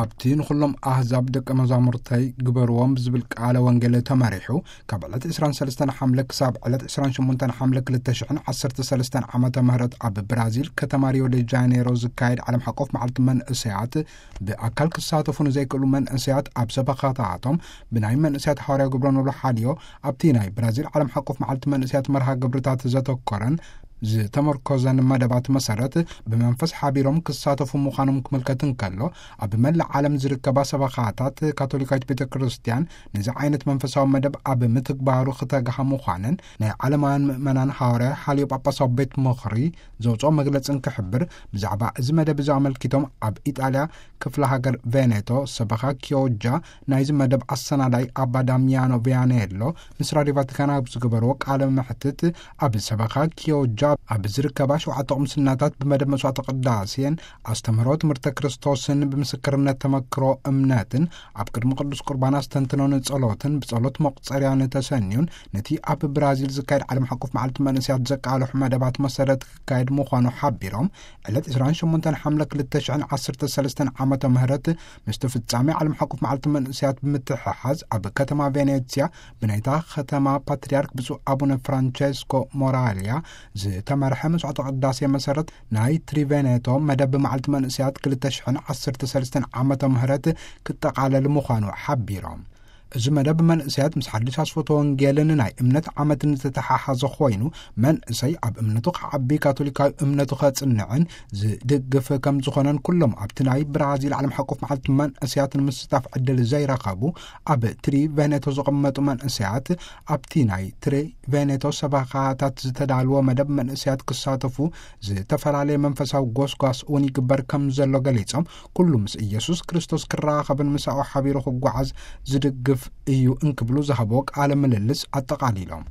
ኣብቲ ንኹሎም ኣህዛብ ደቀ መዛሙርተይ ግበርዎም ብዝብል ቃለ ወንጌል ተመሪሑ፣ ካብ ዕለት ዕስራን ሰለስተን ሓምለ ክሳብ ዕለት ዕስራን ሸሞንተን ሓምለ ክልተ ሽሕን ዓሰርተ ሰለስተን ዓመተ ምህረት ኣብ ብራዚል ከተማ ሪዮ ደ ጃኔሮ ዝካየድ ዓለም ሓቆፍ መዓልቲ መንእሰያት፣ ብኣካል ክሳተፉ ንዘይክእሉ መንእሰያት ኣብ ሰበኻታቶም ብናይ መንእሰያት ሃዋርያ ግብረ ኖሎ ሓልዮ፣ ኣብቲ ናይ ብራዚል ዓለም ሓቆፍ መዓልቲ መንእሰያት መርሃ ግብርታት ዘተኮረን ዝተመርኮዘን መደባት መሰረት ብመንፈስ ሓቢሮም ክሳተፉ ምዃኖም ክምልከት እንከሎ፣ ኣብ መላእ ዓለም ዝርከባ ሰበኻታት ካቶሊካዊት ቤተ ክርስቲያን ነዚ ዓይነት መንፈሳዊ መደብ ኣብ ምትግባሩ ክተግሃ ምዃነን ናይ ዓለማውያን ምእመናን ሃዋርያ ሓልዮ ጳጳሳዊ ቤት ምኽሪ ዘውፅኦ መግለጽ እንክሕብር፣ ብዛዕባ እዚ መደብ እዚ ኣመልኪቶም ኣብ ኢጣልያ ክፍለ ሃገር ቬኔቶ ሰበኻ ኪዮጃ ናይዚ መደብ ኣሰናዳይ ኣባ ዳሚያኖ ቪያኔሎ ምስ ራድዮ ቫቲካን ኣብ ዝገበርዎ ቃለ መሕትት፣ ኣብ ሰበኻ ኪዮጃ ኣብ ዝርከባ ሸውዓተ ቁምስናታት ብመደብ መስዋዕተ ቅዳሴን ኣስተምህሮ ትምህርተ ክርስቶስን ብምስክርነት ተመክሮ እምነትን ኣብ ቅድሚ ቅዱስ ቁርባን ኣስተንትኖን ጸሎትን ብጸሎት መቁጸርያን ተሰንዩን ነቲ ኣብ ብራዚል ዝካየድ ዓለም ሓቆፍ መዓልቲ መንእሰያት ዘቃልሑ መደባት መሰረት ክካየድ ምዃኑ ሓቢሮም፣ ዕለት ዕስራን ሸሞንተን ሓምለ ክልተ ሽሕን ዓሰርተ ሰለስተን ዓመተ ምህረት ምስቲ ፍጻሜ ዓለም ሓቆፍ መዓልቲ መንእሰያት ብምትሕሓዝ ኣብ ከተማ ቬኔትስያ ብናይታ ከተማ ፓትርያርክ ብፁዕ ኣቡነ ፍራንቸስኮ ሞራልያ ዝተመርሐ መስዋዕተ ቅዳሴ መሰረት ናይ ትሪቬኔቶ መደብ መዓልቲ መንእሰያት ክልተ ሽሕን ዓሰርተ ሰለስተን ዓመተ ምህረት ክጠቓለል ምዃኑ ሓቢሮም። እዚ መደብ መንእሰያት ምስ ሓድሽ ኣስፈቶ ወንጌልን ናይ እምነት ዓመትን ዝተተሓሓዘ ኮይኑ፣ መንእሰይ ኣብ እምነቱ ክዓቢ፣ ካቶሊካዊ እምነቱ ከጽንዕን ዝድግፍ ከም ዝኾነን፣ ኩሎም ኣብቲ ናይ ብራዚል ዓለም ሓቆፍ መዓልቲ መንእሰያት ንምስታፍ ዕድል ዘይረኸቡ ኣብ ትሪ ቬኔቶ ዝቕመጡ መንእሰያት ኣብቲ ናይ ትሪ ቬኔቶ ሰበኻታት ዝተዳልወ መደብ መንእሰያት ክሳተፉ ዝተፈላለየ መንፈሳዊ ጎስጓስ እውን ይግበር ከም ዘሎ ገሊጾም፣ ኩሉ ምስ ኢየሱስ ክርስቶስ ክራኸብን ምሳኡ ሓቢሩ ክጓዓዝ ዝድግፍ እዩ እንክብሉ ዝሃብዎ ቃለ ምልልስ ኣጠቓሊሎም።